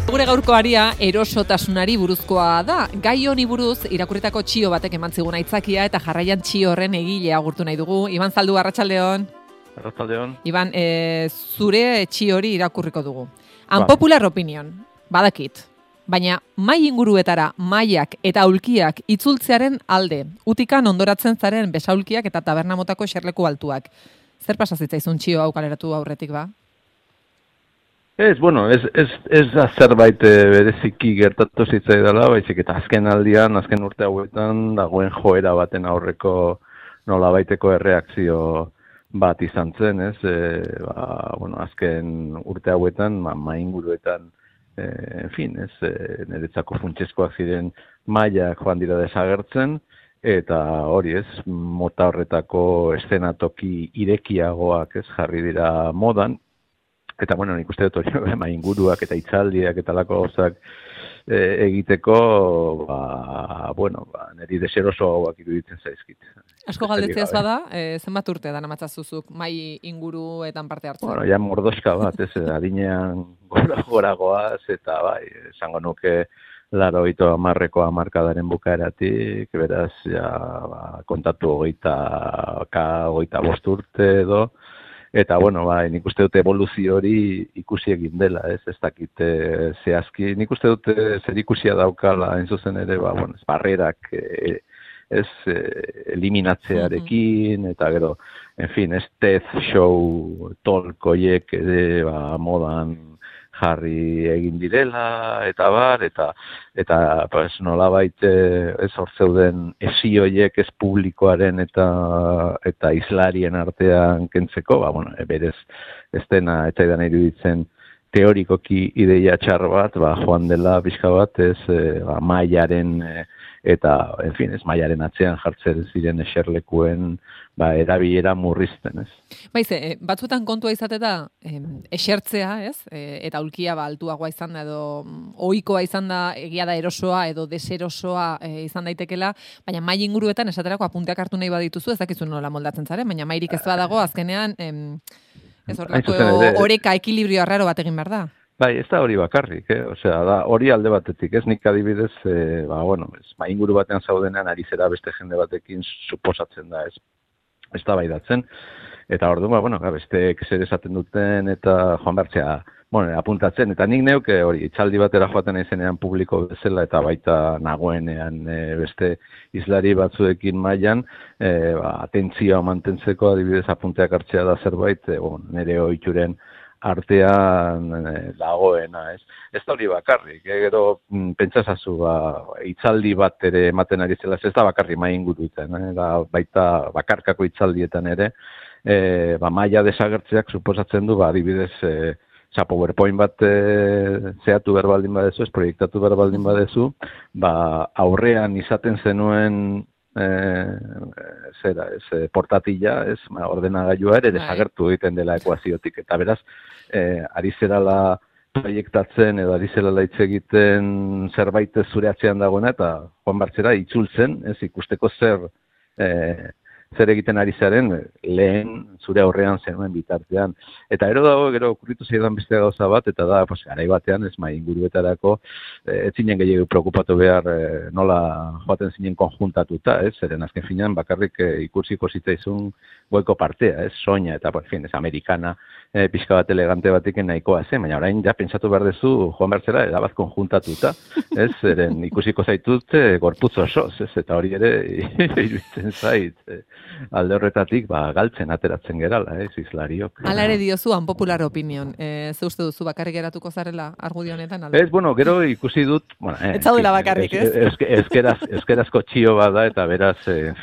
Gure gaurko aria erosotasunari buruzkoa da. Gai honi buruz irakurritako txio batek eman zigun aitzakia eta jarraian txio horren egilea agurtu nahi dugu. Iban Zaldu, arratsaldeon. Arratsaldeon. Iban, zure txio hori irakurriko dugu. Unpopular opinion, badakit. Baina mai inguruetara maiak eta aulkiak itzultzearen alde. Utikan ondoratzen zaren besaulkiak eta taberna motako eserleku altuak. Zer pasa zitzaizun txio hau kaleratu aurretik ba? Ez da zerbait bereziki gertatu zitzaidala, baizik eta azken urte hauetan, dagoen joera baten aurreko nolabaiteko erreakzio bat izan zen, ez? Azken urte hauetan, mainguruetan, niretzako funtsezkoak ziren mailak joan dira desagertzen, eta hori ez, mota horretako eszenatoki irekiagoak ez jarri dira modan. Eta, nik uste dut hori inguruak eta itzaldiak eta lako gauzak egiteko, niri deserosoagoak iruditzen zaizkit. Asko galdetzea ez bada, zenbat urte da namatzazuzuk mai inguruetan parte hartzen? Ja mordoska bat, ez, adinean goragoaz, eta esango nuke 80 hamarkadaren bukaeratik, beraz, kontatu 25 urte edo, eta, nik uste dute evoluzio hori ikusi egin dela, ez dakit zehazki. Nik uste dute zer ikusia daukala, hain zuzen ere, barrerak eliminatzearekin, eta gero, death show tolkoiek modan jarri egin direla, eta nolabait hor zeuden esioiek ez publikoaren eta islarien artean kentzeko, berez ez dena eta edan iruditzen teorikoki ideia txar bat, joan dela pixka bat, mailaren eta, mailaren atzean jartzen ziren eserlekuen erabilera murrizten, ez? Batzuetan kontua izate da esertzea, ez? Eta aulkia altuagoa izan da edo ohikoa izan da, egia da erosoa edo deserosoa izan daitekela, baina mai inguruetan esaterako apunteak hartu nahi badituzu, ez dakizu nola moldatzen zaren, baina mairik ez badago azkenean ez horrelako oreka ekilibrio arraro bat egin behar da. Ez da hori bakarrik, da hori alde batetik, ez nik adibidez, mai inguru batean zaudenean ari zera beste jende batekin suposatzen da, ez da baidatzen, eta orduan, besteek zer esaten duten eta joan bertzea, apuntatzen, eta nik neuke hori, itzaldi batera joaten izenean publiko bezala eta baita nagoenean beste islari batzuekin mailan, atentzioa mantentzeko adibidez apunteak hartzea da zerbait, nire ohituren artean dagoena, ez? Ez da hori bakarrik, gero pentsasazu itzaldi bat ere ematen ari zela, ez da bakarri mai inguruetan, baita bakarkako itzaldietan ere, maila desagertzeak suposatzen du, adibidez, PowerPoint bat zehatu behar baldin badezu, ez proiektatu behar baldin badezu, aurrean izaten zenuen portatila, ordenagailua ere desagertu egiten dela ekuaziotik, eta beraz, ari zerala proiektatzen edo ari zerala hitz egiten zerbait zure atzean dagoena, eta joan bartzera itzultzen, ez ikusteko zer egiten ari zaren lehen zure aurrean zenuen bitartean. Eta gero okurritu zaidan beste gauza bat, eta da, garai batean, ez mai inguruetarako, ez zinen gehiago preokupatu behar nola joaten zinen konjuntatuta, ez? Zeren azken finean bakarrik ikusiko zitzaizun goiko partea, ez? Soina, eta, ez amerikana, pixka bat elegante batekin nahikoa zen, baina orain ja pentsatu behar dezu joan bertzera erabat konjuntatuta, ez? Zeren ikusiko zaitut gorputz osoz, ez? Eta hori ere iruditzen zait, alde horretatik galtzen ateratzen gerala, islariok. Hala ere diozu, unpopular opinion. Ze uste duzu bakarrik geratuko zarela argudio honetan? Ez, gero ikusi dut... Ez zaudela bakarrik, ez? Euskerazko txio bat da, eta beraz, ez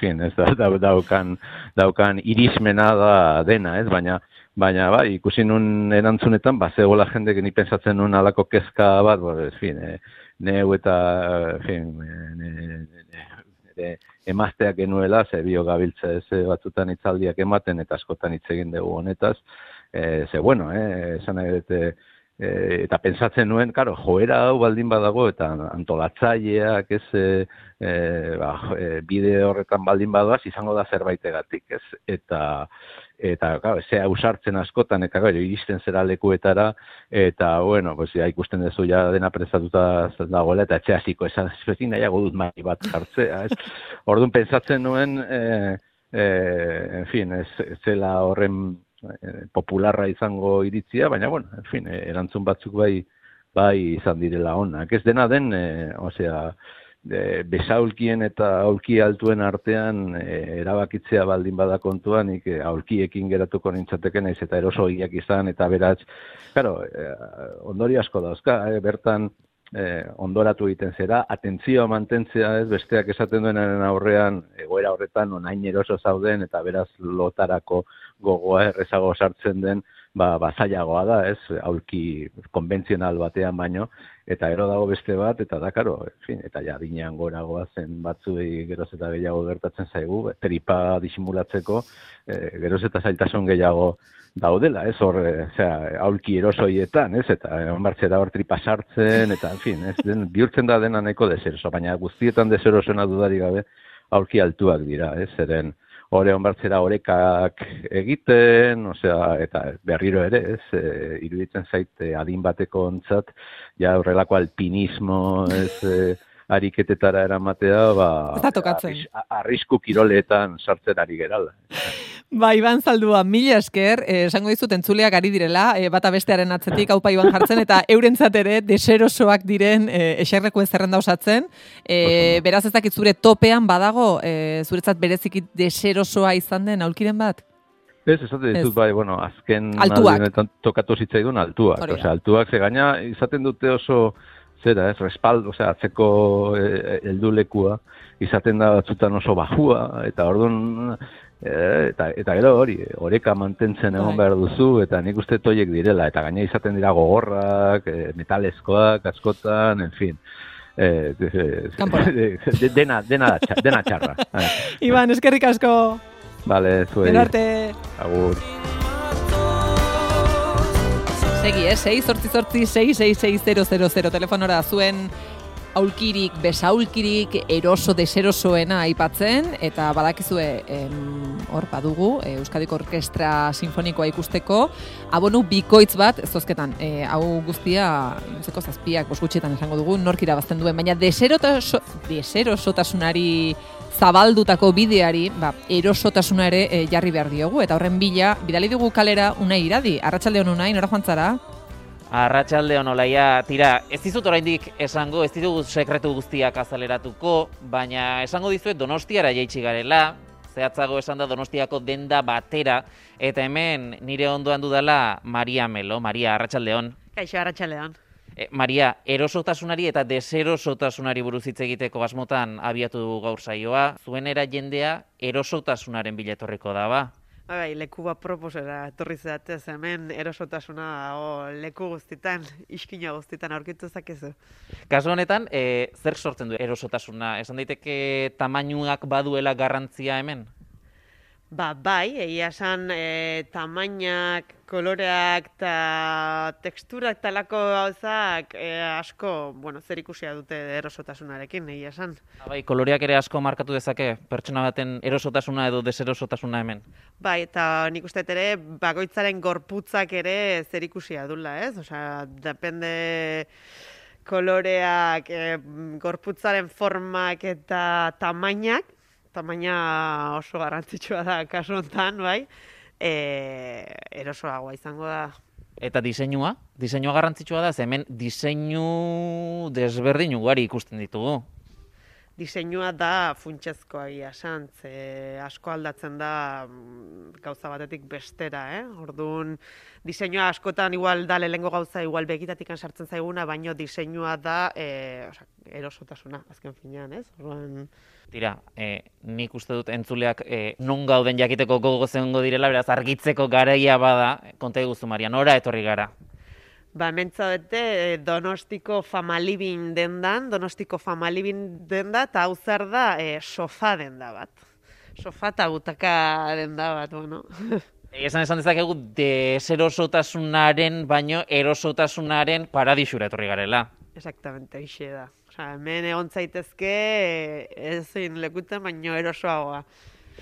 daukan irismena da dena, ez? Baina, ikusi nun erantzunetan, zegoela jende ni pentsatzen nun alako kezka bat, neu eta, emazteak genuela, bio gabiltza batzutan hitzaldiak ematen eta askotan hitz egin dugu honetaz, esan nahi dute eta pentsatzen nuen, karo, joera hau baldin badago, eta antolatzaileak bide horretan baldin badoaz, izango da zerbaitegatik, ez? Eta claro, ze ausartzen askotan, eta claro, iristen zera lekuetara, eta, bueno, pues, ja, ikusten duzu ja dena prestatuta dagoela, eta etxe hasiko, ezin nahiago dut mai bat jartzea, ez? Orduan, pentsatzen nuen, en fin, ez zela horren popularra izango iritzia, baina, bueno, en fin, erantzun batzuk bai izan direla onak. Ez dena den, besaulkien eta aulki altuen artean erabakitzea baldin bada kontuan, nik aulkiekin geratuko nintzateke naiz eta erosoiak izan, eta beraz, claro, ondori asko dauzka, bertan ondoratu egiten zera, atentzioa mantentzea, ez, besteak esaten duenaren aurrean, egoera horretan onain eroso zauden, eta beraz lotarako gogoa errezago sartzen den, zailagoa da, ez, aulki konbentzional batean baino, eta gero dago beste bat, eta da, karo, en fin, eta ja dinean goragoa zen batzuei geroz eta gehiago gertatzen zaigu, tripa disimulatzeko, geroz eta zailtasun gehiago daudela, ez, hor, aulki erosoietan, ez, eta onbartzera hor tripa sartzen, eta, en fin, ez, bihurtzen da dena nahiko deseroso, baina guztietan deserosona dudari gabe aulki altuak dira, ez, zeren hore onbartzera orekak egiten, eta berriro ere, ez, iruditzen zait adin bateko ontzat, ja horrelako alpinismo, ez, ariketetara eramatea, arrisku kiroletan sartzen ari gerala. Iban Zaldua, mila esker, esango dizut entzuleak ari direla, bata bestearen atzetik, haupa Iban jartzen, eta eurentzat ere deserosoak diren eserlekuen zerrenda osatzen. Beraz ez dakit zure topean badago, zuretzat bereziki deserosoa izan den aulkiren bat? Ez, esate ditut bai, bueno, azken altuak. Tokatu zitzaidun altuak. Altuak ze gaina izaten dute oso zera, ez, respaldo, atzeko heldulekua, izaten da batzutan oso bajua, eta orduan, eta gero hori, oreka mantentzen egon behar duzu, eta nik uste toiek direla, eta gaina izaten dira gogorrak, metalezkoak, askotan, en fin. Dena txarra. Iban, eskerrik asko. Vale, zuei. Benarte. Agur. Segi, 688-666-000 telefonora zuen aulkirik, besaulkirik, eroso, deserosoena aipatzen, eta badakizue hor badugu, Euskadiko Orkestra Sinfonikoa ikusteko, abonu bikoitz bat, zozketan, hau guztia, zeko zazpiak, bosgutxetan esango dugu, nork irabazten duen, baina deserosotasunari zabaldutako bideari, erosotasuna ere jarri behar diogu, eta horren bidali dugu kalera Unai Iradi. Arratsalde on Unai, nora joan zara? Arratsalde on Olaia, tira, ez dizut oraindik esango, ez ditugu sekretu guztiak azaleratuko, baina esango dizuet Donostiara jaitsi garela, zehatzago esan da Donostiako denda batera, eta hemen nire ondoan dudala Maria Melo. Maria, arratsalde on. Kaixo, arratsalde on. Maria, erosotasunari eta deserosotasunari buruz hitz egiteko asmotan abiatu dugu gaur saioa. Zuenera jendea erosotasunaren bila etorriko da, ba? Bai, leku bat proposera etorri zeatez, hemen erosotasuna leku guztitan, iskina guztitan aurkitu zakezu. Kasu honetan, zer sortzen du erosotasuna? Esan daiteke tamainuak baduela garrantzia hemen? Bai, egia esan tamainak, koloreak eta teksturak talako gauzak asko, zer ikusia dute erosotasunarekin, egia esan. Bai, koloreak ere asko markatu dezake pertsona baten erosotasuna edo deserosotasuna hemen. Bai, eta nik uste ere bakoitzaren gorputzak ere zer ikusia dula, ez? Osea, depende koloreak, gorputzaren formak eta tamainak, tamaina oso garrantzitsua da kasu honetan, bai, erosoagoa izango da. Eta diseinua? Diseinua garrantzitsua da, hemen diseinu desberdin ugari ikusten ditugu. Diseinua da funtsezkoa egia esan, asko aldatzen da gauza batetik bestera, Orduan, diseinua askotan igual da lehengo gauza igual begitatik sartzen zaiguna, baino diseinua da erosotasuna, azken finean, ez? Orduan, tira, nik uste dut entzuleak non gauden jakiteko gogo zegongo direla, beraz argitzeko garaia bada, konta eguzu Maria, nora etorri gara? Hementza bete Donostiko Famalibin dendan, eta hau zer da sofa denda bat. Sofa eta butaka denda bat, bueno. Esan dezakegu deserosotasunaren baino erosotasunaren paradisura etorri garela. Exactamente, hoxe da. Osea, hemen egon zaitezke ezin lekutan baino erosoagoa.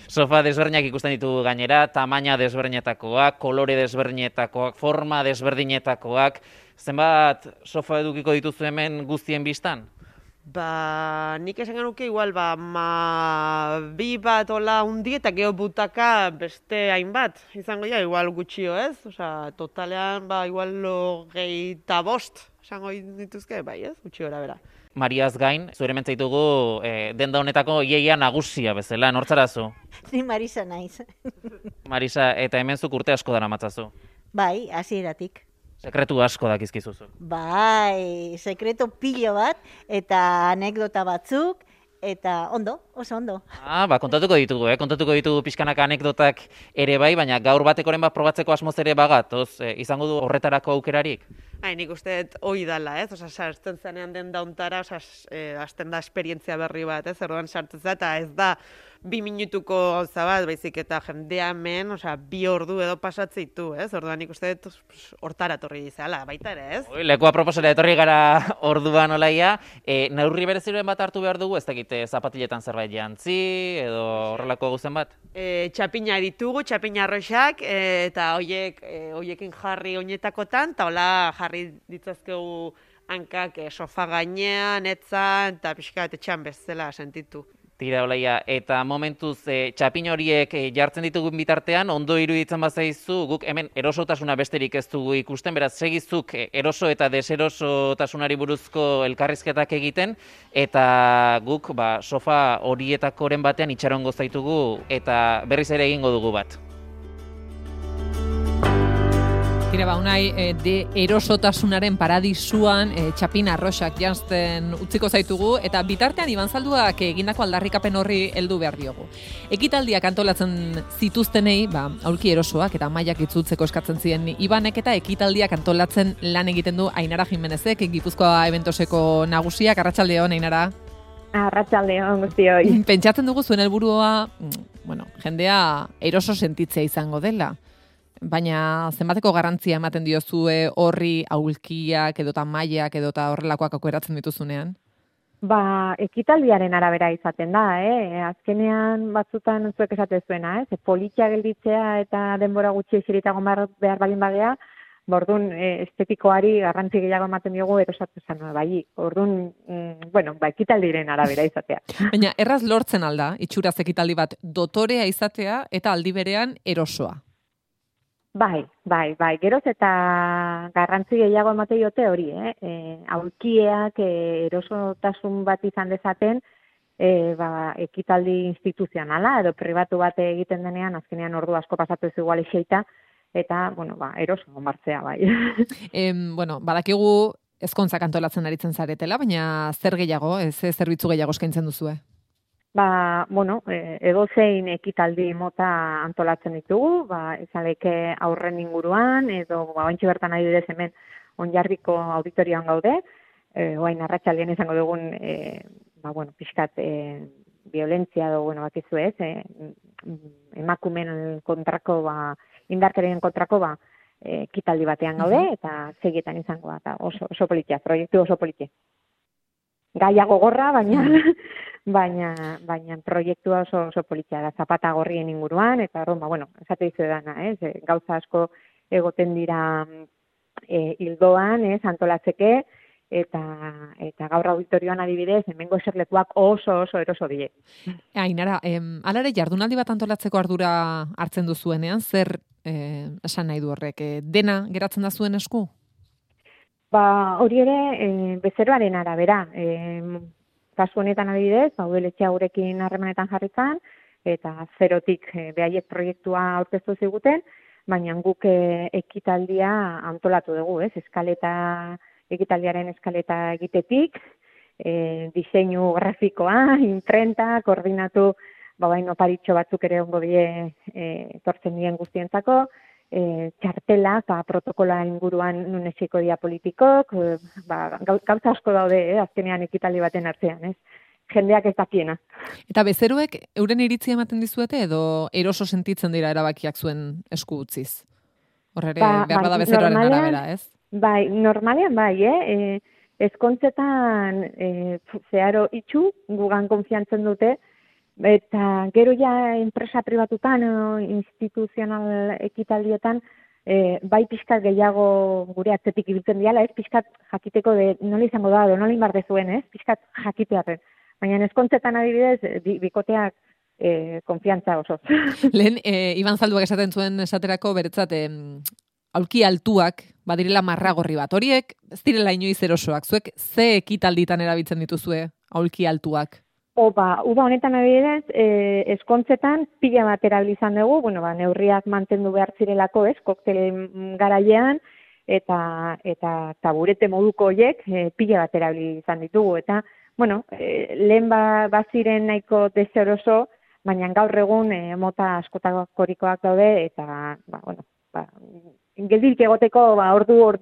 Sofa desberdinak ikusten ditugu gainera, tamaina desberdinetakoak, kolore desberdinetakoak, forma desberdinetakoak. Zenbat sofa edukiko dituzu hemen guztien biztan? Ba, nik esan genuke igual, bi bat ola hundi eta geho butaka beste hainbat. Izango ja, igual gutxio ez? Osea, totalean, igual 25 esango dituzke, bai ez? Gutxi gora bera. Mariaz gain, zure mentzaitugu denda honetako iaia nagusia bezala, nortzarazu? Ni Marisa naiz. Marisa, eta hemen zuk urte asko dara matzazu. Bai, hasieratik. Sekretu asko dakizkizuzu. Bai, sekreto pilo bat eta anekdota batzuk eta ondo, oso ondo. Kontatuko ditugu pixkanaka anekdotak ere bai, baina gaur batekoren bat probatzeko asmoz ere bagatoz, izango du horretarako aukerarik? Nik uste hoi dala, ez? Osa, sartzen zanean den dauntara, hasten da esperientzia berri bat, ez? Erdoan sartzen za, eta ez da 2 minutuko gauza bat, baizik eta jendea hemen, 2 ordu edo pasatzeitu, ez? Orduan nik uste hortara torri izala, baita ere, ez? Lekua proposera etorri gara orduan olaia, neurri bereziren bat hartu behar dugu, ez dakit zapatiletan zerbait jantzi, edo horrelako guzen bat? Txapina ditugu, txapina arroxak, eta hoiekin jarri oinetakotan, eta hola jarri ditzazkegu hankak sofa gainean, etzan, eta pixkat etxan bezala sentitu. Tira, olaia, eta momentuz txapin horiek jartzen ditugun bitartean, ondo iruditzen bazaizu, guk hemen erosotasuna besterik ez dugu ikusten, beraz, segizuk eroso eta deserosotasunari buruzko elkarrizketak egiten, eta guk sofa horietakoren batean itxarongo zaitugu, eta berriz ere egingo dugu bat. Tira, unai, de erosotasunaren paradisuan txapin arroxak janzten utziko zaitugu, eta bitartean Iban Zalduak egindako aldarrikapen horri heldu behar diogu. Ekitaldiak antolatzen zituztenei, aulki erosoak eta mailak itzultzeko eskatzen ziren Ibanek, eta ekitaldiak antolatzen lan egiten du Ainara Jimenezek, Gipuzkoa Eventoseko nagusiak. Arratsaldeon, Ainara. Arratsaldeon guztioi. Pentsatzen dugu zuen helburua, jendea eroso sentitzea izango dela. Baina zenbateko garrantzia ematen diozue horri aulkiak edota mailak edota horrelakoak aukeratzen dituzunean? Ekitaldiaren arabera izaten da, Azkenean batzutan zuek esate zuena, politia gelditzea eta denbora gutxi eseritago behar balin bagea, orduan estetikoari garrantzi gehiago ematen diogu erosatzen bai. Orduan, ekitaldiren arabera izatea. Baina erraz lortzen alda, itxuraz ekitaldi bat dotorea izatea eta aldi berean erosoa. Bai. Geroz eta garrantzi gehiago emate diote hori, aulkieak erosotasun bat izan dezaten, ekitaldi instituzionala edo pribatu bat egiten denean, azkenean ordu asko pasatu ez igual eseita, eta, eroso martzea, bai. Badakigu ezkontzak antolatzen aritzen zaretela, baina zer gehiago, zerbitzu gehiago eskaintzen duzue? Edozein ekitaldi mota antolatzen ditugu, izaleke aurren inguruan, edo baintxe bertan adibidez hemen Onjarbiko auditorioan gaude, oain arratsaldean izango dugun, pixkat violentzia edo, bakizu ez, emakumen kontrako, indarkerien kontrako, ekitaldi batean gaude, eta segietan izango da, oso politia, proiektu oso politia. Gaia gogorra, baina proiektua oso politia da, zapata gorrien inguruan, eta esate dizu dana, gauza asko egoten dira hildoan, antolatzeke, eta gaur auditorioan adibidez, hemengo eserlekuak oso eroso die. Ainara, alare jardunaldi bat antolatzeko ardura hartzen duzuenean, zer esan nahi du horrek, dena geratzen da zuen esku? Hori ere, bezeroaren arabera. Kasu honetan adibidez, udaletxea gurekin harremanetan jarritzen, eta zerotik behaiek proiektua aurkeztu ziguten, baina guk ekitaldia antolatu dugu, ekitaldiaren eskaleta egitetik, diseinu grafikoa, imprenta, koordinatu, oparitxo batzuk ere ongo die tortzen dien guztientzako, txartelak, protokola inguruan nun esiko dia politikok, gauza asko daude, azkenean ekitaldi baten artean, jendeak ez dakiena. Eta bezeroek euren iritzia ematen dizuete edo eroso sentitzen dira erabakiak zuen esku utziz? Horre, behar bada bezeroaren arabera, ez? Bai, normalean bai, ezkontzetan zeharo itxu, gugan konfiantzen dute, eta gero ja enpresa pribatutan, instituzional ekitaldietan, bai pixkat gehiago gure atzetik ibiltzen diala, ez pixkat jakiteko de nola izango da, nola inbar dezuen, ez pixkat jakitearen. Baina ezkontzetan adibidez, bikoteak konfiantza oso. Lehen, Iban Zalduak esaten zuen esaterako beretzat, aulki altuak badirela marragorri bat. Horiek ez direla inoiz erosoak. Zuek ze ekitalditan erabiltzen dituzue aulki altuak? Uda honetan adibidez, eskontzetan pila bat erabilizan dugu, neurriak mantendu behar zirelako, ez, koktel garailean, eta taburete moduko horiek pila bat erabilizan ditugu. Eta, lehen baziren nahiko deseroso, baina gaur egun mota askotakorikoak daude, eta, geldirik egoteko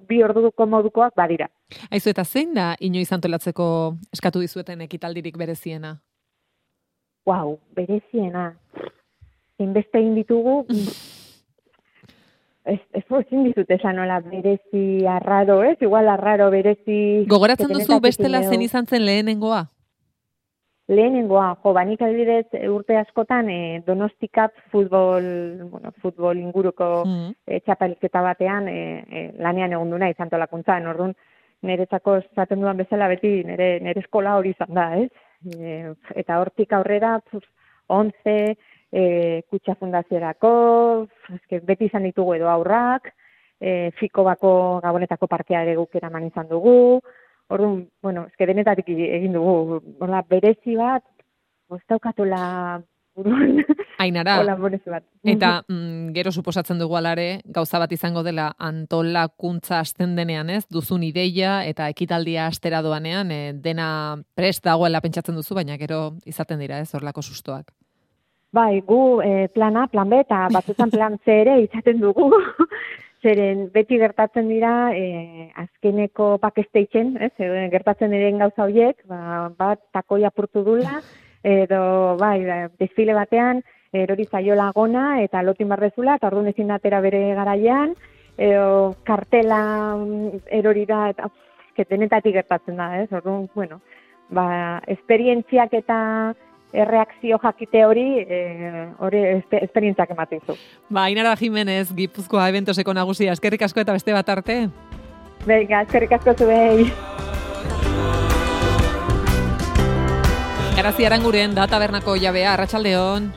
bi orduko modukoak badira. Aizu, eta zein da inoiz antolatzeko eskatu dizueten ekitaldirik bereziena? Bereziena. Zinbeste egin ditugu, ez ezin dizut esan nola berezi arraro, ez? Igual arraro berezi... Gogoratzen duzu bestela zen izan zen lehenengoa? Lehenengoa, banik adibidez urte askotan Donostikap futbol inguruko txapelketa batean lanean egon duna izan tolakuntzan. Orduan, niretzako esaten dudan bezala beti nire eskola hori izan da, ez? Eta hortik aurrera, 11 kutxa fundaziorako, beti izan ditugu edo aurrak, Fiko bako Gabonetako parkea ere guk eraman izan dugu. Orduan, denetatik egin dugu, berezi bat, daukatola buruan. Ainara, berezi bat. Eta gero suposatzen dugu alare, gauza bat izango dela antolakuntza hasten denean, ez? Duzun ideia eta ekitaldia hastera doanean, dena prest dagoela pentsatzen duzu, baina gero izaten dira, ez? Horlako sustoak. Bai, gu plan A, plan B eta batzutan plan C ere izaten dugu. Zeren beti gertatzen dira azkeneko backstagen, ez? Gertatzen diren gauza horiek, bat takoi apurtu dula, edo desfile batean erori zaiola gona eta lotin barrezula, eta orduan ezin datera bere garaian, edo kartela erori da, eta denetatik gertatzen da, ez? Orduan, esperientziak eta erreakzio jakite hori esperientziak ematen zu. Ainara Jimenez, Gipuzkoa Eventoseko nagusia, eskerrik asko eta beste bat arte. Venga, eskerrik asko zuei. Garazi Aranguren da tabernako jabea, arratsaldeon.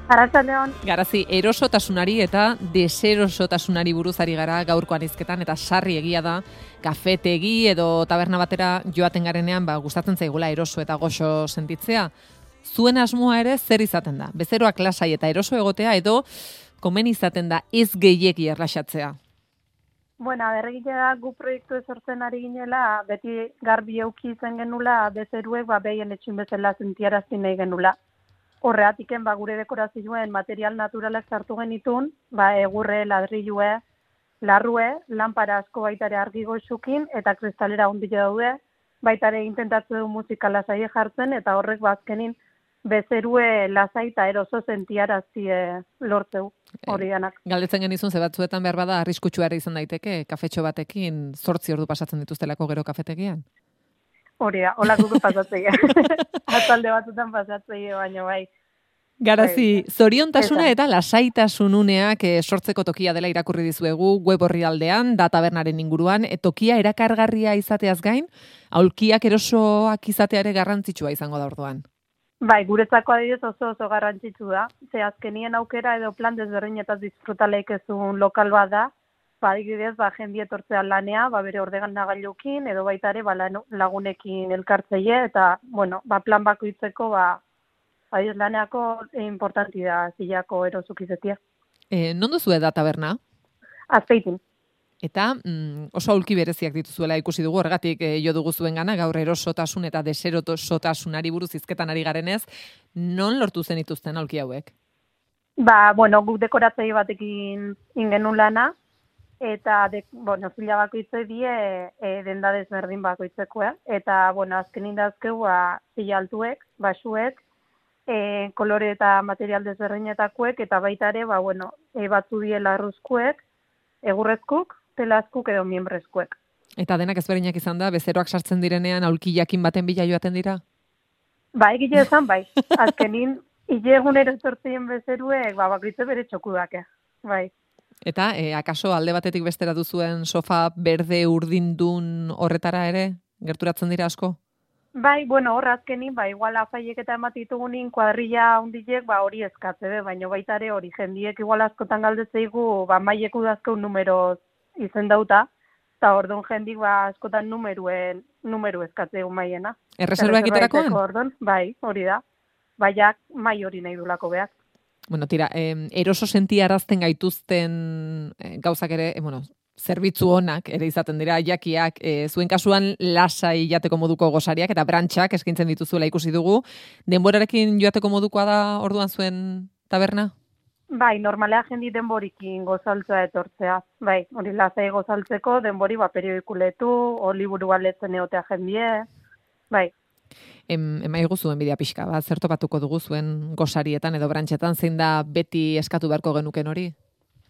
Arratsaldeon. Garazi, erosotasunari eta deserosotasunari buruz ari gara gaurkoan hizketan, eta sarri egia da, kafetegi edo taberna batera joaten garenean, gustatzen zaigula eroso eta goxo sentitzea. Zuen asmoa ere zer izaten da? Bezeroak lasai eta eroso egotea edo komen izaten da ez gehiegi erlaxatzea? Berregile da gu proiektu sortzen ari ginela, beti garbi euki izan genula, bezeruek behien etxin bezala sentiarazti nahi genula. Horreatiken gure dekorazioen material naturalak sartu genitun, egurre, ladrilue, larrue, lanpara asko baitare argi goxukin eta kristalera ondile daude, baitare intentatze du musika lasai jartzen eta horrek azkenin bezerue lasai eta eroso sentiarazi lortzeu hori danak. Galdetzen genizun, ze batzuetan behar bada arriskutsua ere izan daiteke, kafetxo batekin 8 ordu pasatzen dituztelako gero kafetegian? Hori da, hola gugu pasatzea. Atalde batzutan pasatzea, baina bai. Garazi, zoriontasuna eta lasaitasun uneak sortzeko tokia dela irakurri dizuegu web orrialdean, da tabernaren inguruan, tokia erakargarria izateaz gain, aulkiak erosoak izateare garrantzitsua izango da orduan. Bai, guretzako adibidez oso garrantzitsu da. Ze azkenien aukera edo plan desberdinetaz disfrutaleik ezun lokal bat da, adibidez, jendie etortzea lanea, bere ordenagailukin edo baita ere lagunekin elkartzeie eta, plan bakoitzeko, adibidez, laneako importanti da zilako erosuk izetia. Non duzue da taberna? Azpeitin. Eta oso aulki bereziak dituzuela ikusi dugu, horregatik jo dugu zuen gana, gaur erosotasun eta deserosotasunari buruz hizketan ari garenez, non lortu zen dituzten aulki hauek? Guk dekoratzei batekin ingenun lana, eta fila bakoitze die denda desberdin bakoitzekoa. Eta, azkenin dazkeu, zila altuek, basuek, kolore eta material desberdinetakoek, eta baita ere, batzu die larruzkuek, egurrezkuk, telazkuk edo miembrezkuek. Eta denak ezberdinak izan da, bezeroak sartzen direnean aulki jakin baten bila joaten dira? Egile esan, bai. Azkenin, hile egunero etortzien bezeruek, bakoitze bere txokudake. Bai. Eta, akaso alde batetik bestera duzuen sofa berde urdindun horretara ere, gerturatzen dira asko? Bai, hor azkenin, igual afaiek eta ematitugunin kuadrilla hundilek, hori eskatze, baina baita ere hori jendiek igual askotan galdetzeigu, maiek udazkeu numeroz izendauta, eta orduan jendik askotan numeru eskatzeu maiena. Erreserba egiterakoan? Bai, hori da. Baiak mai hori nahi dulako behar. Bueno, tira, eroso sentiarazten gaituzten gauzak ere, zerbitzu onak ere izaten dira, jakiak, zuen kasuan lasai jateko moduko gosariak eta brantxak eskaintzen dituzuela ikusi dugu. Denborarekin joateko modukoa da orduan zuen taberna? Bai, normalea jendi denborikin gozaltzea etortzea. Bai, hori lasai gozaltzeko, denbori periodikuletu, liburu aletzen egotea jendie. Bai. Emaigu zuen bidea pixka, zer topatuko dugu zuen gosarietan edo brantxetan, zein da beti eskatu beharko genuken hori?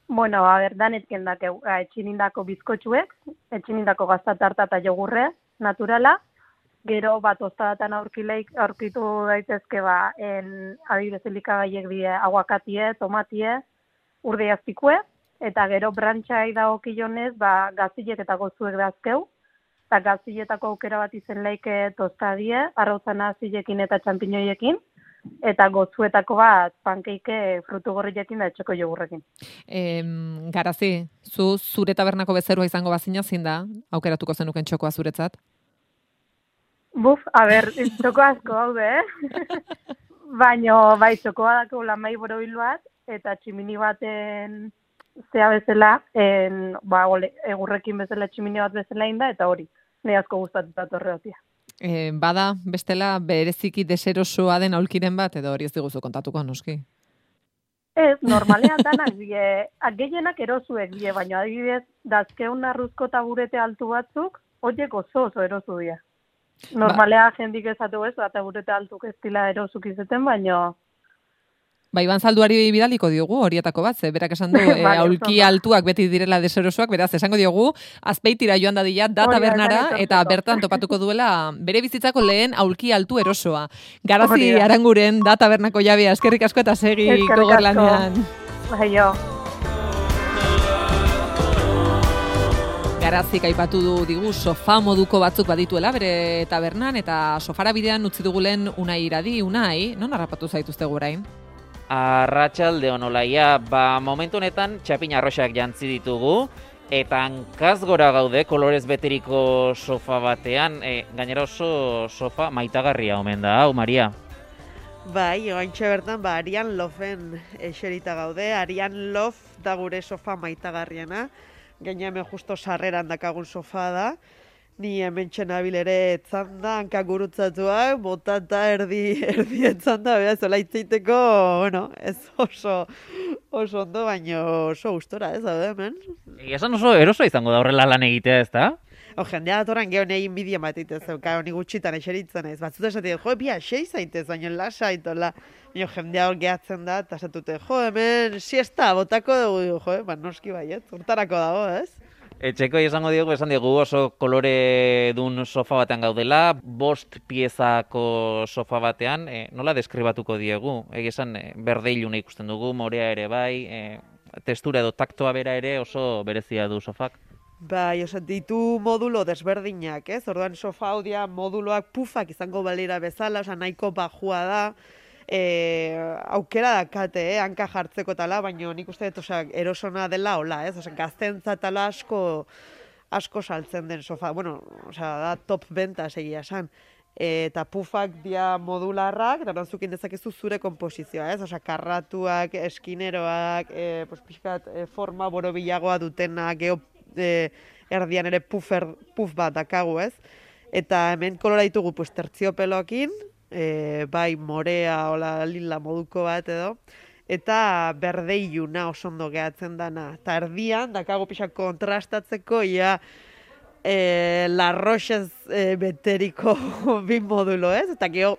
Danetken dakeu, etxinindako bizkotxuek, etxinindako gaztatarta eta jogurre, naturala, gero tostadatan aurkitu daitezke adibidez elikagaiek die aguakatie, tomatie, urdeiazpikue, eta gero brantxai dagokionez, gazilek eta gozuek dazkeu, eta gaziletako aukera bat izen laike tostadie, arrauzana zilekin eta txampiñoiekin, eta gozuetako bat pankeike frutu gorriekin da etxeko jogurrekin. Garazi, zure tabernako bezerua izango bazina zein da, aukeratuko zenuken txokoa zuretzat? Txoko asko haude, baina txokoa dako lamai borobil bat, eta tximini baten zea bezala, egurrekin bezala tximini bat bezala inda, eta hori, nahi asko gustatuta torreotia. Bada, bestela, bereziki deserosoa den aulkiren bat, edo hori ez diguzu kontatuko, noski? Ez, normalean danak die, gehienak erosuek die, baina adibidez, dazkeun arruzko taburete altu batzuk, horiek oso erosu die. Normalea jendik ezatu ez, taburete altuk ez dila erosuk izeten, baina... Iban Zalduari bidaliko diogu horietako bat, berak esan du aulki altuak beti direla deserosoak, beraz, esango diogu, Azpeitira joan dadila, da tabernara, eta bertan topatuko duela bere bizitzako lehen aulki altu erosoa. Garazi Aranguren, da tabernako jabea, eskerrik asko eta segi gogorlanean. Garazik aipatu digu sofa moduko batzuk badituela bere tabernan, eta sofara bidean utzi dugulen Unai Iradi. Unai, non harrapatu zaituzte gurain? Arratsalde on Olaia, momentu honetan txapin arroxak jantzi ditugu, eta hankaz gora gaude kolorez beteriko sofa batean, gainera oso sofa maitagarria omen da, hau, Maria? Bai, oaintxe bertan, Arian Lofen eserita gaude, Arian Lof da gure sofa maitagarriena, gaina hemen justo sarreran dakagun sofa da, ni hemen txenabil ere etzanda, hankak gurutzatuak, botata erdi etzanda, beha, zola itzeiteko, ez oso ondo, baino oso gustora, ez da, hemen. Esan oso eroso izango da horrela lan egitea, ez da? Jendea datoran geho nahi inbidia matitez, honi gutxitan eseritzen ez, batzut esatik, bia, 6 zaitez, baino lasa itola, baino jendea hor gehatzen da, eta esatute, hemen siesta, botako dugu, noski baiet, urtarako dago, ez? Etxeko esan diegu oso kolore dun sofa batean gaudela, 5 piezako sofa batean, nola deskribatuko diegu? Esan berde iluna ikusten dugu, morea ere bai, testura edo taktoa bera ere oso berezia du sofak. Bai, ditu modulo desberdinak, ez? Orduan sofa hau dia moduloak pufak izango balira bezala, nahiko bajua da, aukera dakate, hanka jartzeko tala, baina nik uste dut erosona dela hola, ez? Gaztentza tala asko saltzen den sofa, da top benta segia esan. Eta pufak dia modularrak, eta nantzukin dezakezu zure komposizioa, ez? Karratuak, eskineroak, pixkat forma borobilagoa dutenak, erdian ere puf bat dakagu, ez? Eta hemen kolora ditugu tertziopeloekin, bai morea, lila moduko bat edo, eta berde iluna oso ondo gehatzen dana. Eta erdian, dakago pixak kontrastatzeko, ia La Rochez beteriko bi modulo, ez? Eta geho,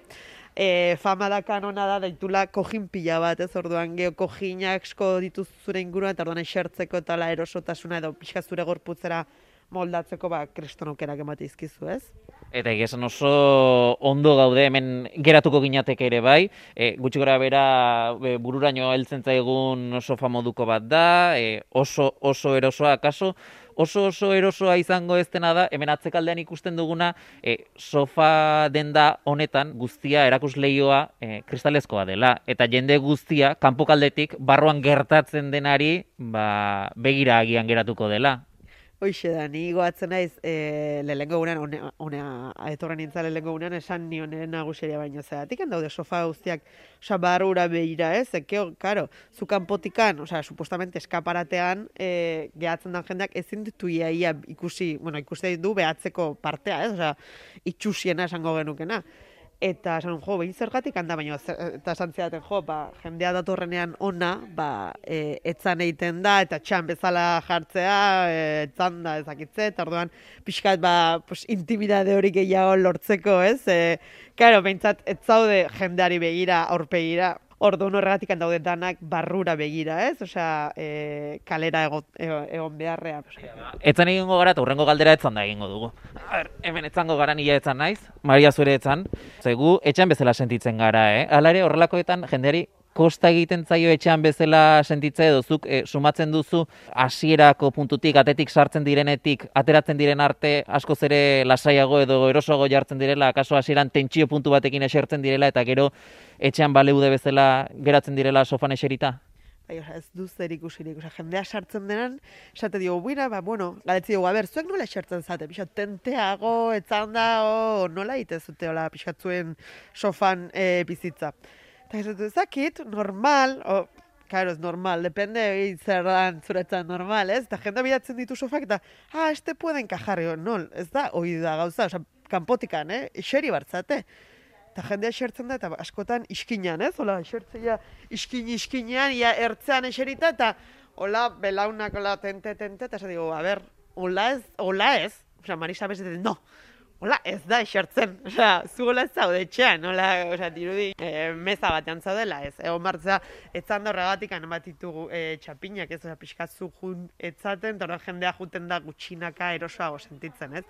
fama da kanona da daitula kojin pila bat, ez? Orduan geho kojinak asko dituz zure inguruan, eta orduan esertzeko eta la erosotasuna edo pixka zure gorputzera moldatzeko kriston aukerak emate izkizu, ez? Eta esan oso ondo gaude hemen geratuko ginateke ere bai, gutxi gora bera bururaino heltzen zaigun sofa moduko bat da, oso erosoa, akaso, oso erosoa izango ez dena da, hemen atzekaldean ikusten duguna, sofa denda honetan guztia erakusleioa kristalezkoa dela, eta jende guztia kanpokaldetik barruan gertatzen denari begira agian geratuko dela. Hoixe da, ni goatzen naiz lehengo gunean, etorren nintzen lehengo gunean, esan nionen naguseria baino zeratik, daude sofa guztiak barrura behira, ez? Ekeo, karo, zu kanpotikan, supostamente eskaparatean, gehatzen den jendeak ezin ditu ia ikusi du behatzeko partea, ez? Itxusiena esango genukena. Eta esan, behin zergatik handa, baina eta esan zidaten, jendea datorrenean ona, etzan egiten da, eta txan bezala jartzea, etzan da ezakitze, eta orduan pixkat, intimidade hori gehiago lortzeko, ez? Karo, behintzat, ez zaude jendeari begira, aurpegira, orduan horregatik daude danak barrura begira, ez? Kalera egon beharrean. Etzan egingo gara, eta hurrengo galdera etzan da egingo dugu. Hemen etzango gara nila etzan naiz, Maria zure etzan. Zegu, etxan bezala sentitzen gara, Hala ere, horrelakoetan jendeari kosta egiten zaio etxean bezala sentitza edo zuk sumatzen duzu hasierako puntutik, atetik sartzen direnetik, ateratzen diren arte askoz ere lasaiago edo erosoago jartzen direla, akaso hasieran tentsio puntu batekin esertzen direla eta gero etxean baleude bezala geratzen direla sofan eserita? Ez du zer ikusirik, jendea sartzen denan, esate dio, galetzi dugu, zuek nola esertzen zate, pixat tenteago, etzan da, nola itezute, pixat zuen sofan bizitza. Eta ez ezakit, normal, claro, ez normal, depende zer dan zuretzan normal, ez? Eta jendea bilatzen ditu sofak eta, este puede encajar, no, ez da, hoi da gauza, kanpotikan, eseri bartzate. Eta jendea esertzen da, eta askotan iskinean, ez? Hola, esertzea iskinean, ia ertzean eserita, eta hola, belaunak, hola, tente, eta ez digo, hola ez, Marisa bezetzen, no, hola, ez da esertzen, zu hola ez zaude etxean, hola, dirudi, meza batean zaudela, ez, egon martza, etzan da horregatik bat ditugu txapinak, ez, pixkatzu jun etzaten, eta jendea juten da gutxinaka erosoago sentitzen, ez.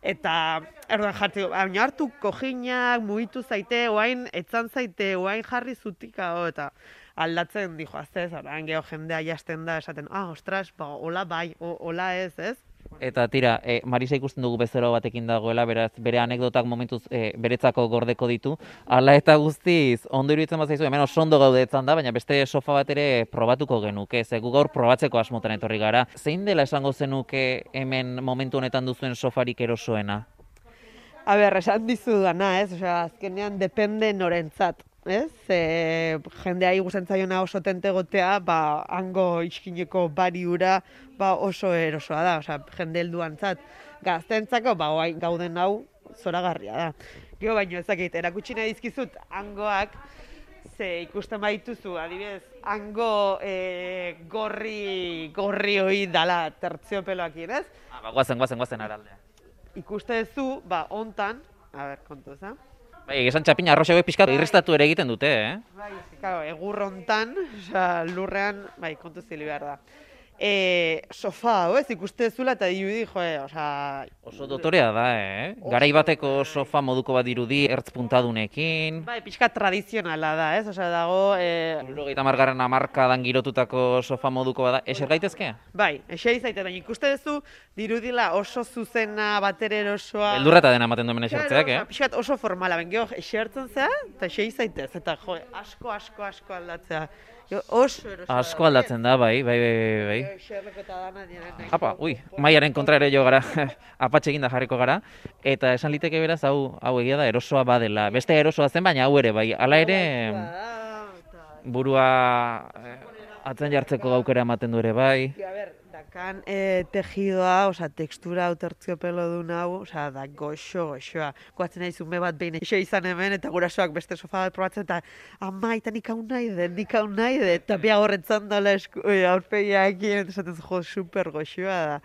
Eta, erdoan jartzen, baina hartu kojinak, mugitu zaite, oain, etzan zaite, oain jarri zutika, eta aldatzen, dijo, aztez, orain geho jendea jasten da, esaten, ostras, hola bai, hola ez, ez? Eta tira, Marisa ikusten dugu bezero batekin dagoela, beraz, bere anekdotak momentuz beretzako gordeko ditu. Hala eta guztiz, ondo iruditzen bat zaizu, hemen oso ondo gaude etzan da, baina beste sofa bat ere probatuko genuke, gu gaur probatzeko asmotan etorri gara. Zein dela esango zenuke hemen momentu honetan duzuen sofarik erosoena? Esan dizu dana, ez? Azkenean depende norentzat. Ez? Jendea igusten zaiona oso tente gotea, hango iskineko bariura oso erosoa da, jende helduantzat. Gaztentzako, gauden hau zoragarria da. Gero baino ezakit, erakutsi nahi dizkizut hangoak, ze ikusten baituzu, adibidez, hango gorri hori dala tertziopeloakin, ez? Guazen araldea. Ikuste duzu, hontan, kontu eza? Esan txapina arroxago pixkat irristatu ere egiten dute, Bai, egur hontan, lurrean, kontu zili behar da. Sofa hau, ez, ikuste zula eta dirudi, Oso dotorea da, Garai bateko sofa moduko bat dirudi, ertz puntadunekin. Bai, pixka tradizionala da, ez, dago... 70. hamarkadan girotutako sofa moduko bat da, eser gaitezke? Bai, eseri zaite, baina ikuste duzu, dirudila oso zuzena, batere erosoa... Beldurreta dena ematen duen esertzeak, Pixkat oso formala, bengeho, esertzen zea, eta eseri zaitez, eta asko aldatzea. Oso erosoa. Asko aldatzen da, bai. Apa, maiaren kontra ere jo gara, apatxe eginda jarriko gara, eta esan liteke beraz, hau egia da, erosoa badela. Beste erosoa zen, baina hau ere, bai. Hala ere, burua atzen jartzeko gaukera ematen du ere, bai. Eta kan tejidoa, tekstura hau tertziopelo duen hau, da goxoa. Goatzen nahi zume bat behin eixo izan hemen, eta gurasoak beste sofa bat probatzen, eta ama, eta nik hau nahi dut, eta bia horretzan dala aurpegiakin, eta esaten jo, super goxoa da.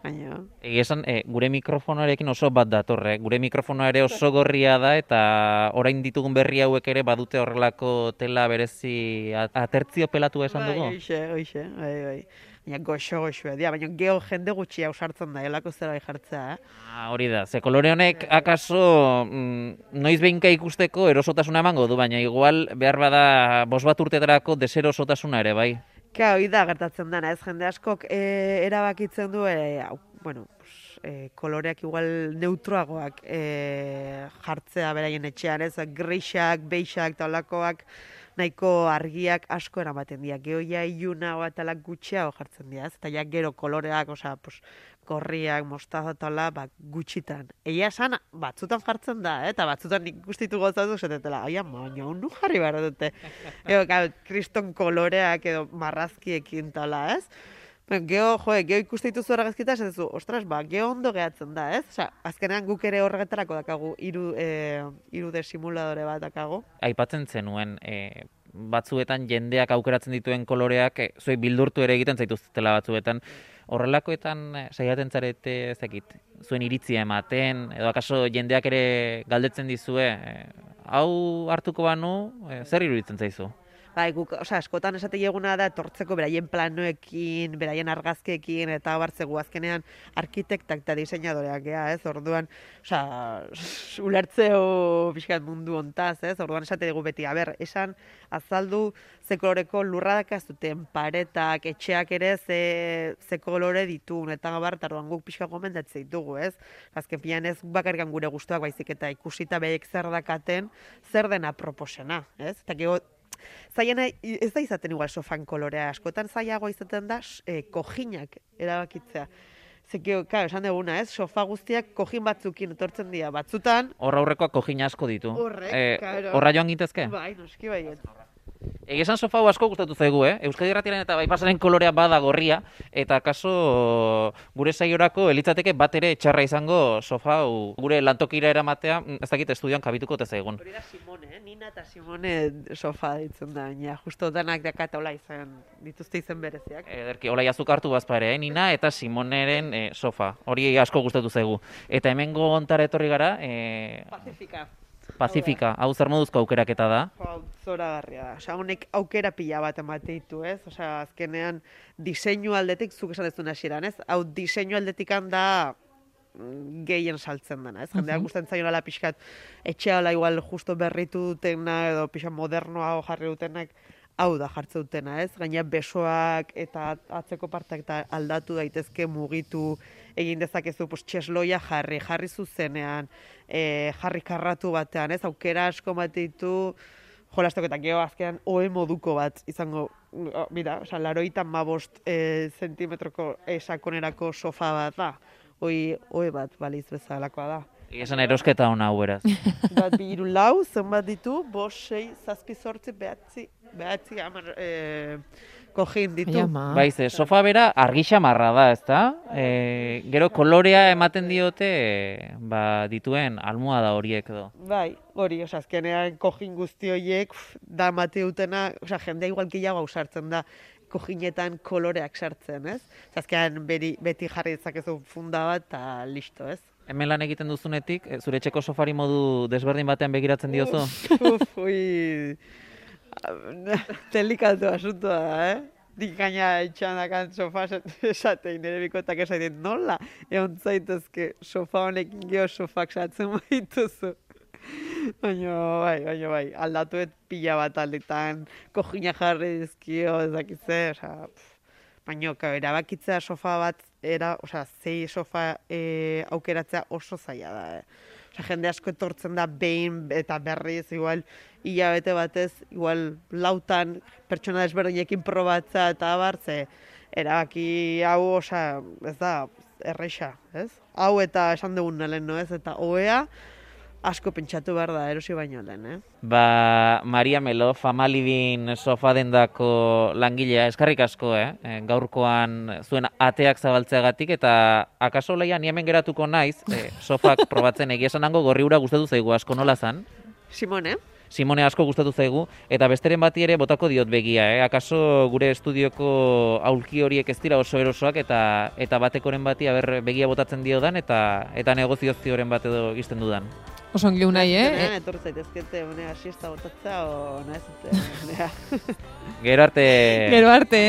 Baina... Egia esan, gure mikrofonoarekin oso bat datorre. Gure mikrofonoa ere oso gorria da, eta orain ditugun berri hauek ere badute horrelako tela berezi atertzio pelatua esan dugu? Hoxe, bai. Baina goxo-goxoa dira, baina geho jende gutxi ausartzen da, elako zera bai jartzea, Hori da, ze kolore honek akaso noiz behinka ikusteko erosotasuna emango du, baina igual behar bada 5 urtetarako deserosotasuna ere, bai? Hori da gertatzen dena, ez jende askok erabakitzen du, koloreak igual neutroagoak jartzea beraien etxean, ez? Grisak, beixak, taulakoak, nahiko argiak asko eramaten dira. Gero ja iluna batalak gutxiago jartzen dira, ez? Eta ja gero koloreak, gorriak, mostaza tala, gutxitan. Egia esan, batzutan jartzen da, eta batzutan ikustitu gozatu zetetela, baina honu jarri behar dute. Kriston koloreak edo marrazkiekin tala, ez? Geho ikustitu zu argazkita, esatezu, ostras, geho ondo gehatzen da, ez? Azkenean guk ere horregetarako dakagu, 3D simuladore bat dakagu. Aipatzen zenuen, batzuetan jendeak aukeratzen dituen koloreak, zuek bildurtu ere egiten zaituztela batzuetan, horrelakoetan saiatzen zarete ezakit, zuen iritzia ematen, edo akaso jendeak ere galdetzen dizue, hau hartuko banu, zer iruditzen zaizu? Guk, askotan esate eguna da etortzeko beraien planoekin, beraien argazkeekin, eta bartzegu azkenean arkitektak eta diseinadoreak gea, ez? Orduan, ulertzeo pixkat mundu hontaz, ez? Orduan esate dugu beti, esan azaldu ze koloreko lurradak ez duten, paretak, etxeak ere ze kolore ditun, eta orduan guk pixka gomendatzen ditugu, ez? Azken pian ez bakarrikan gure gustuak baizik eta ikusita behek zer dakaten, zer dena proposena, ez? Eta gero, zaiena ez da izaten igual sofan kolorea, askotan zaiagoa izaten da kojinak erabakitzea. Zekio, esan duguna, ez? Sofa guztiak kojin batzukin etortzen dira, batzutan... Horra aurrekoak kojin asko ditu. Horra joan gintezke? Bai, noski baiet. Egesan sofa hau asko gustatu zaigu, Euskadi Irratiaren eta Baipasaren kolorea bada gorria, eta akaso gure saiorako elitzateke bat ere txarra izango sofa hau gure lantokira eramatea, ez dakit estudioan kabituko zaigun. Hori da Simone, Nina eta Simone sofa ditzen da, baina justo danak dakata hola izan, dituzte izen bereziak. Ederki, hola jazuk hartu bazpare, Nina eta Simoneren sofa, hori asko gustatu zaigu. Eta hemengo ontara etorri gara... Pazifika, hau zer moduzko aukeraketa da? Zoragarria da. Honek aukera pila bat emate ditu, ez? Azkenean diseinu aldetik, zuk esan dezun hasieran, ez? Hau diseinu aldetikan da gehien saltzen dena, ez? Jendeak gustatzen zaiola pixkat etxeala igual justo berritu dutena edo pixkat modernoa jarri dutenak hau da jartze dutena, ez? Gaina besoak eta atzeko partak eta aldatu daitezke mugitu egin dezakezu txesloia jarri zuzenean, jarri karratu batean, ez? Aukera asko bat ditu jolasteko eta gero azkenan oe moduko bat izango, mira, 85 zentimetroko sakonerako sofa bat da, oe bat baliz bezalakoa da. Esan erosketa hona hau beraz. Bat 2, 4, zenbat ditu, 5, 6, 7, 8, 9, kojin ditu. Baize, sofa bera argisa marra da, ezta? Gero kolorea ematen diote dituen almohada horiek edo. Bai, hori, azkenean kojin guzti horiek da mate dutena, jendea igual gehiago ausartzen da kojinetan koloreak sartzen, ez? Azkenean beti jarri dezakezu funda bat eta listo, ez? Hemen lan egiten duzunetik, zure etxeko sofari modu desberdin batean begiratzen diozu? Delikatu asuntoa da, Dik gaina etxanakan sofa esatein, nire bikotak esaten nola, egon zaitezke sofa honekin geho sofak sartzen baituzu. Baina bai, aldatuet pila bat aldetan, kojina jarri dizkio, ezakitze, baina erabakitzea sofa bat, zei sofa aukeratzea oso zaila da. Jende asko etortzen da behin eta berriz, igual, hilabete batez, igual, lautan pertsona desberdinekin probatza eta abartze, erabaki hau, ez da, erreixa, ez? Hau eta esan dugun nelen, no ez? Eta oea, asko pentsatu behar da erosi baino lehen, Ba, Maria Melo, Famalibin sofa dendako langilea, eskarrik asko, gaurkoan zuen ateak zabaltzeagatik, eta akaso Olaia, ni hemen geratuko naiz, sofak probatzen egia esan hango gorri ura gustatu zaigu asko nola zan? Simone asko gustatu zaigu, eta besteren bati ere botako diot begia, akaso gure estudioko aulki horiek ez dira oso erosoak, eta batekoren bati begia botatzen diodan, eta negoziazioren bat edo izten dudan. Oso ongi unai, Etorri zaitezkete, unea siesta botatza, o nahez, unea. Gero arte. Gero arte,